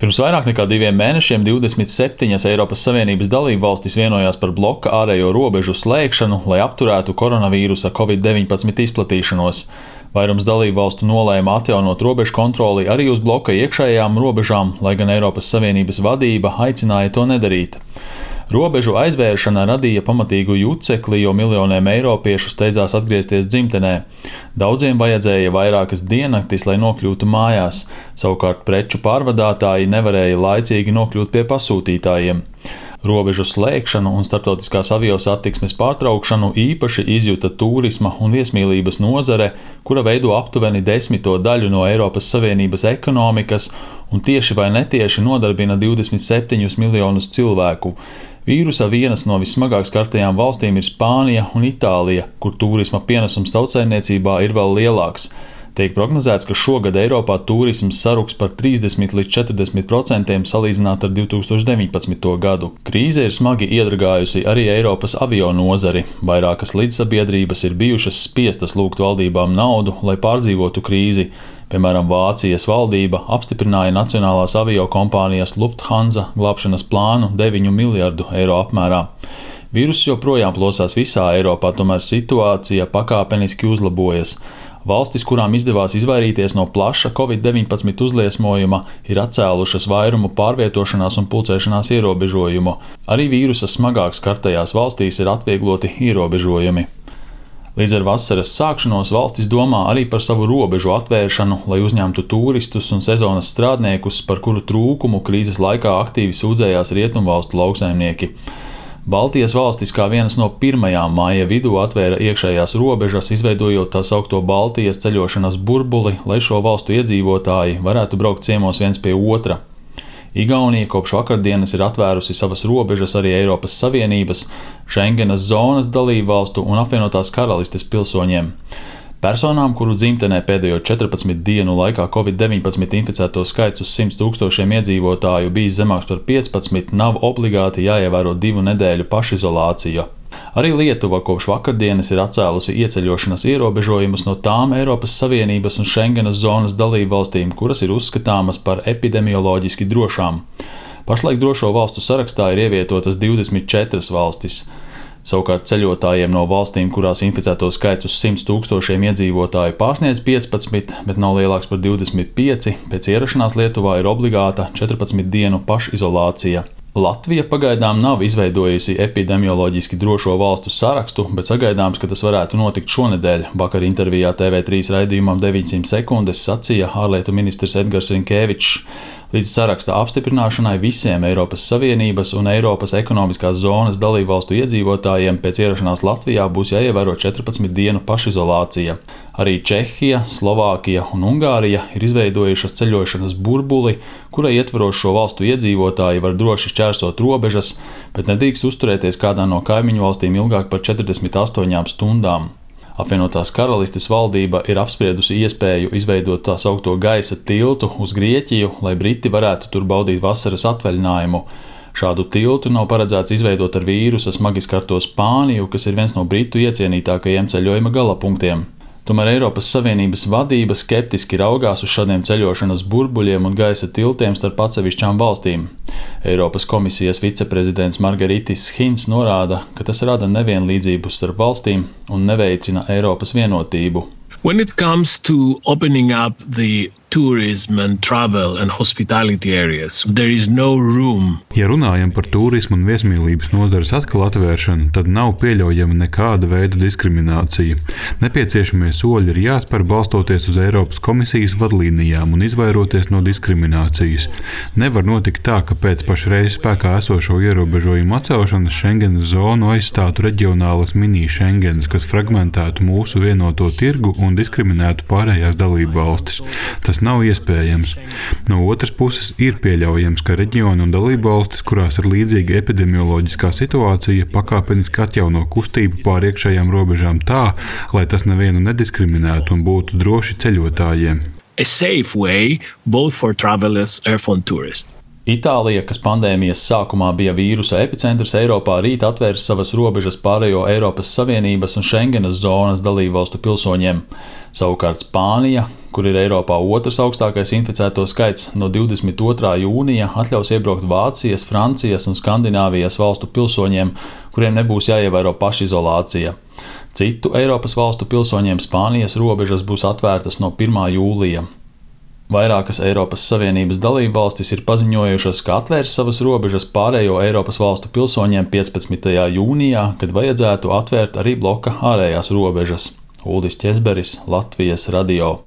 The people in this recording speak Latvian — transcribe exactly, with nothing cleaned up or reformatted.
Pirms vairāk nekā diviem mēnešiem divdesmit septiņas Eiropas Savienības dalībvalstis vienojās par bloka ārējo robežu slēgšanu, lai apturētu koronavīrusa covid deviņpadsmit izplatīšanos. Vairums dalībvalstu nolēma atjaunot robežu kontroli arī uz bloka iekšējām robežām, lai gan Eiropas Savienības vadība aicināja to nedarīt. Robežu aizvēršana radīja pamatīgu jucekli, jo miljoniem eiropiešu steidzās atgriezties dzimtenē. Daudziem vajadzēja vairākas diennaktis, lai nokļūtu mājās, savukārt preču pārvadātāji nevarēja laicīgi nokļūt pie pasūtītājiem. Robežu slēgšanu un starptautiskās aviosatiksmes pārtraukšanu īpaši izjuta turisma un viesmīlības nozare, kura veido aptuveni desmito daļu no Eiropas Savienības ekonomikas un tieši vai netieši nodarbina divdesmit septiņus miljonus cilvēku. Vīrusa vienas no vissmagāk skartajām valstīm ir Spānija un Itālija, kur turisma pienesums tautsaimniecībā ir vēl lielāks. Tiek prognozēts, ka šogad Eiropā turisms saruks par trīsdesmit līdz četrdesmit procentiem salīdzināt ar divi tūkstoši deviņpadsmito gadu. Krīze ir smagi iedragājusi arī Eiropas avio nozari. Vairākas līdzsabiedrības ir bijušas spiestas lūgt valdībām naudu, lai pārdzīvotu krīzi. Piemēram, Vācijas valdība apstiprināja nacionālās avio kompānijas Lufthansa glābšanas plānu deviņu miljardu eiro apmērā. Vīruss joprojām plosās visā Eiropā, tomēr situācija pakāpeniski uzlabojas. Valstis, kurām izdevās izvairīties no plaša covid deviņpadsmit uzliesmojuma, ir atcēlušas vairumu pārvietošanās un pulcēšanās ierobežojumu. Arī vīrusa smagāk skartajās valstīs ir atviegloti ierobežojumi. Līdz ar vasaras sākšanos valstis domā arī par savu robežu atvēršanu, lai uzņemtu turistus un sezonas strādniekus, par kuru trūkumu krīzes laikā aktīvi sūdzējās rietumvalstu lauksaimnieki. Baltijas valstis kā vienas no pirmajām māja vidū atvēra iekšējās robežas, izveidojot tā saukto Baltijas ceļošanas burbuli, lai šo valstu iedzīvotāji varētu braukt ciemos viens pie otra. Igaunija kopš vakardienas ir atvērusi savas robežas arī Eiropas Savienības, Schengenas zonas dalībvalstu un apvienotās karalistes pilsoņiem. Personām, kuru dzimtenē pēdējo četrpadsmit dienu laikā covid deviņpadsmit inficēto skaits uz simt tūkstošiem iedzīvotāju bijis zemāks par piecpadsmit, nav obligāti jāievēro divu nedēļu pašizolācija. Arī Lietuva kopš vakardienas ir atcēlusi ieceļošanas ierobežojumus no tām Eiropas Savienības un Schengenas zonas dalībvalstīm, kuras ir uzskatāmas par epidemioloģiski drošām. Pašlaik drošo valstu sarakstā ir ievietotas divdesmit četras valstis. Savukārt ceļotājiem no valstīm, kurās inficēto skaits uz simt tūkstošiem iedzīvotāju pārsniedz piecpadsmit, bet nav lielāks par divdesmit pieci, pēc ierašanās Lietuvā ir obligāta četrpadsmit dienu pašizolācija. Latvija pagaidām nav izveidojusi epidemioloģiski drošo valstu sarakstu, bet sagaidāms, ka tas varētu notikt šonedēļ. Vakar intervijā T V trīs raidījumam deviņsimt sekundes sacīja ārlietu ministrs Edgars Rinkevičs. Līdz saraksta apstiprināšanai visiem Eiropas Savienības un Eiropas ekonomiskās zonas dalībvalstu iedzīvotājiem pēc ierašanās Latvijā būs jāievēro četrpadsmit dienu pašizolācija. Arī Čehija, Slovākija un Ungārija ir izveidojušas ceļošanas burbuli, kura ietvaros šo valstu iedzīvotāji var droši šķērsot robežas, bet nedrīkst uzturēties kādā no kaimiņu valstīm ilgāk par četrdesmit astoņām stundām. Apvienotās karalistes valdība ir apspriedusi iespēju izveidot tā saukto gaisa tiltu uz Grieķiju, lai briti varētu tur baudīt vasaras atvaļinājumu. Šādu tiltu nav paredzēts izveidot ar vīrusa smagi skarto Spāniju, kas ir viens no britu iecienītākajiem ceļojuma galapunktiem. Tomēr Eiropas Savienības vadība skeptiski raugās uz šādiem ceļošanas burbuļiem un gaisa tiltiem starp atsevišķām valstīm. Eiropas komisijas viceprezidents Margaritis Hins norāda, ka tas rada nevienlīdzību starp valstīm un neveicina Eiropas vienotību. When it comes to opening up the tourism and travel and hospitality areas, there is no room. Ja runājam par turismu un viesmīlības nozares atkal atvēršanu, tad nav pieļaujama nekāda veida diskriminācija. Nepieciešamie soļi ir jāspēr balstoties uz Eiropas komisijas vadlīnijām un izvairoties no diskriminācijas. Nevar notikt tā, ka pēc pašreiz spēkā esošo ierobežojumu atcelšanas Schengenas zonu aizstātu reģionālas mini-Schengenas, kas fragmentētu mūsu vienoto tirgu un diskriminētu pārējās dalību valstis. Tas nav iespējams. No otras puses ir pieļaujams, ka reģioni un dalību valstis, kurās ir līdzīga epidemioloģiskā situācija, pakāpeniski atjauno kustību pār iekšējām robežām tā, lai tas nevienu nediskriminētu un būtu droši ceļotājiem. A safe way both for travelers and for tourists. Itālija, kas pandēmijas sākumā bija vīrusa epicentrs Eiropā, rīt atvērs savas robežas pārējo Eiropas Savienības un Schengenas zonas dalībvalstu pilsoņiem. Savukārt Spānija, kur ir Eiropā otrs augstākais inficēto skaits, no divdesmit otrā jūnija atļaus iebraukt Vācijas, Francijas un Skandināvijas valstu pilsoņiem, kuriem nebūs jāievēro pašizolācija. Citu Eiropas valstu pilsoņiem Spānijas robežas būs atvērtas no pirmā jūlija. Vairākas Eiropas Savienības dalībvalstis ir paziņojušas, ka atvērs savas robežas pārējo Eiropas valstu pilsoņiem piecpadsmitajā jūnijā, kad vajadzētu atvērt arī bloka ārējās robežas. Uldis Ķezberis, Latvijas radio.